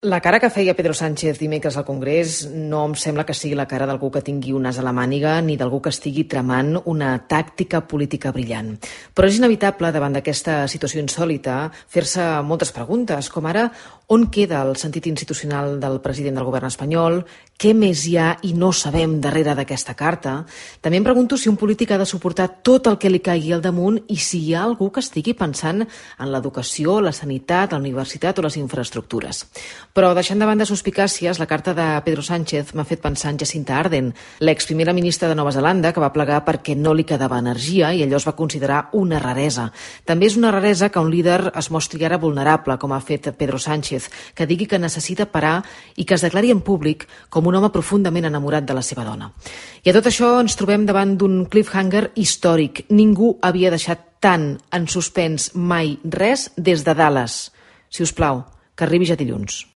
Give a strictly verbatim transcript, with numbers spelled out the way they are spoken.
La cara que feia Pedro Sánchez dimecres al Congrés no em sembla que sigui la cara d'algú que tingui un as a la màniga ni d'algú que estigui tramant una tàctica política brillant. Però és inevitable, davant d'aquesta situació insòlita, fer-se moltes preguntes, com ara on queda el sentit institucional del president del govern espanyol, què més hi ha i no sabem darrere d'aquesta carta. També em pregunto si un polític ha de suportar tot el que li caigui al damunt i si hi ha algú que estigui pensant en l'educació, la sanitat, la universitat o les infraestructures. Però deixant de banda suspicàcies, la carta de Pedro Sánchez m'ha fet pensar en Jacinta Ardern, l'exprimera ministra de Nova Zelanda, que va plegar perquè no li quedava energia i allò es va considerar una raresa. També és una raresa que un líder es mostri ara vulnerable, com ha fet Pedro Sánchez, que digui que necessita parar i que es declari en públic com un home profundament enamorat de la seva dona. I a tot això ens trobem davant d'un cliffhanger històric. Ningú havia deixat tant en suspens mai res des de Dallas. Si us plau, que arribi ja dilluns.